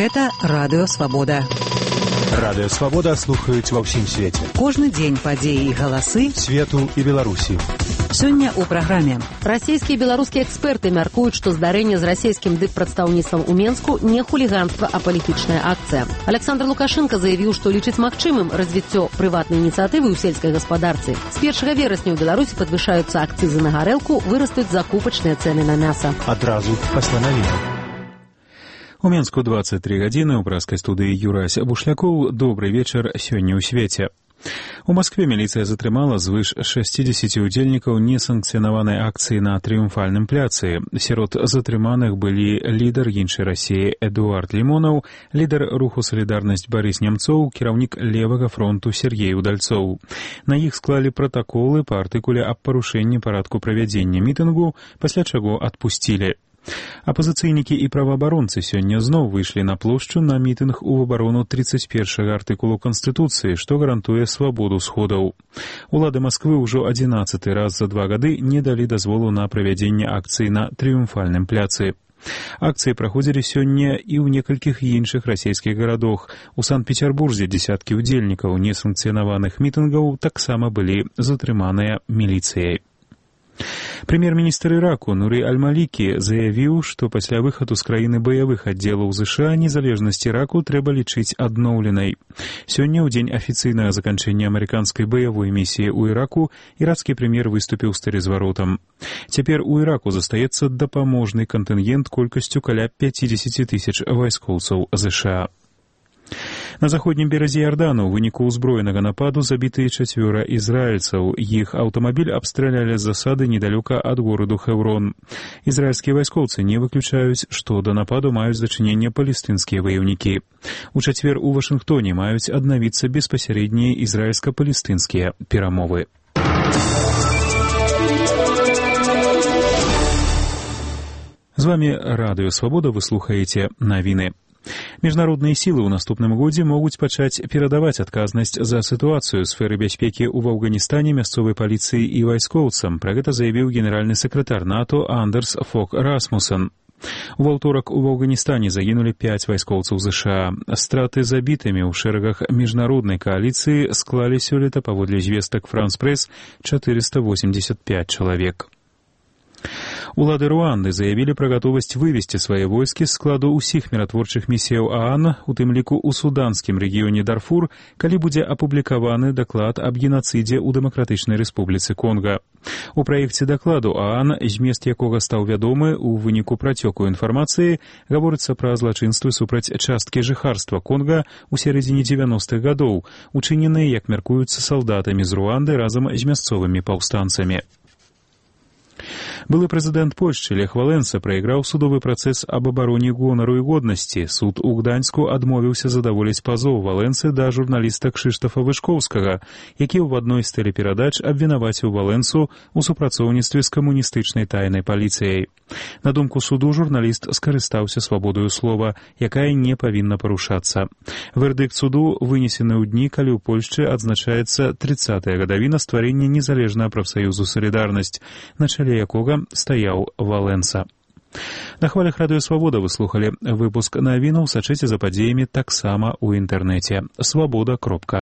Гэта Радыё Свабода. Радыё Свабода слухаюць ва ўсім свеце. Кожны дзень падзеі і галасы свету і Беларусі. Сёння ў праграме. Расійскія і беларускія эксперты мяркуюць, што здарэнне з расійскім дыппрадстаўніцтвам у Менску не хуліганства, а палітычная акцыя. Александр Лукашенко заявіў, што лічыць магчымым развіццё прыватнай ініцыятывы ў сельскай гаспадарцы. З 1 верасня ў Беларусі падвышаюцца акцызы на гарэлку, вырастуць закупачныя цэны на мяса. Адразу пасля навінаў. У Менску 23 гадзіны, у праскай студыі Юрась Бушлякоў. Добры вечар сёння ў свеце. У Маскве міліцыя затрымала звыш 60 удзельнікаў несанкцыянаванай акцыі на Трыумфальным пляцы. Сярод затрыманых былі лідар іншай Расіі Эдуард Лімонаў, лідар руху «Салідарнасць» Барыс Немцоў, кіраўнік левага фронту Сергей Удальцоў. На іх склалі пратаколы па артыкуле аб парушэнні парадку правядзення мітынгу, пасля чаго адпусцілі. Апазіцыйнікі і праваабаронцы сёння зноў выйшлі на плошчу на мітынг у абарону 31 артыкулу Канстытуцыі, што гарантуе свабоду сходаў. Улады Масквы ўжо 11 раз за 2 гады не далі дазволу на правядзенне акцыі на Трыумфальным пляцы. Акцыі праходзілі сёння і ў некалькіх іншых расійскіх гарадах. У Санкт-Петербурзе дзесяткі ўдзельнікаў несанкцыянаваных мітынгаў таксама былі затрыманыя міліцыяй. Прэм'ер-міністр Іраку Нуры Аль-Малікі заявіў, што пасля выхаду з краіны баявых аддзелаў ЗША незалежнасць Іраку трэба лічыць адноўленай. Сёння, ў дзень афіцыйнага заканчэння амерыканскай баявой місіі ў Іраку, ірацкі прэм'ер выступіў з тэрызваротам. Цяпер у Іраку застаецца дапаможны кантынгент колькасцю каля 50 тысяч вайскоўцаў ЗША. На заходнім беразе Ярдану ў выніку ўзброенага нападу забітыя 4 ізраільцаў. Іх аўтамабіль абстралялі з засады недалёка ад гораду Хэўрон. Ізраільскія вайскоўцы не выключаюць, што да нападу маюць дачыненне палестынскія ваяўнікі. У чацвер у Вашынгтоне маюць аднавіцца беспасярэднія ізраільска-палестынскія перамовы. З вамі Радыё Свабода, вы слухаеце навіны. Міжнародныя сілы ў наступным годзе могуць пачаць перадаваць адказнасць за сітуацыю ў сферы бяспекі ў Афганістане мясцовай паліцыі і вайскоўцам. Пра гэта заявіў генеральны сакратар НАТО Андерс Фог Расмуссен. У аўторак у Афганістане загінулі 5 вайскоўцаў ЗША. Страты забітымі ў шэрагах міжнароднай кааліцыі склалі сёлета, паводле звестак Франс Прэс, 485 чалавек. Улады Руанды заявілі пра гатовасць вывесці свае войскі з складу ўсіх міратворчых місіяў ААН, у тым ліку ў суданскім рэгіёне Дарфур, калі будзе апублікаваны даклад аб генацыдзе ў Дэмакратычнай Рэспубліцы Конга. У праекце дакладу ААН, змест якога стаў вядомы ў выніку працёку інфармацыі, гаворыцца пра злачынствы супраць часткі жыхарства Конга ў сярэдзіне 90-х гадоў, учыненыя, як мяркуюцца, салдатамі з Руанды разам з мясцовымі паўстанцамі. Былы прэзідэнт Польшчы Лех Валенса прайграў судовы працэс аб абароне гонару і годнасці. Суд у Гданьску адмовіўся задаволіць пазоў Валенсы да журналіста Кшыштафа Вышкоўскага, які ў адной з тэлеперадач абвінаваціў Валенсу ў супрацоўніцтве з камуністычнай тайнай паліцыяй. На думку суду, журналіст скарыстаўся свабодаю слова, якая не павінна парушацца. Вердыкт суду вынесены ў дні, калі ў Польшчы адзначаецца 30-я гадавіна стварэння незалежнага прафсаюзу «Салідарнасць», на чале якога стаяў Валенса. На хвалях Радыё Свабода вы слухалі выпуск навінаў, сачыце за падзеямі таксама ў інтэрнэце. Свабода.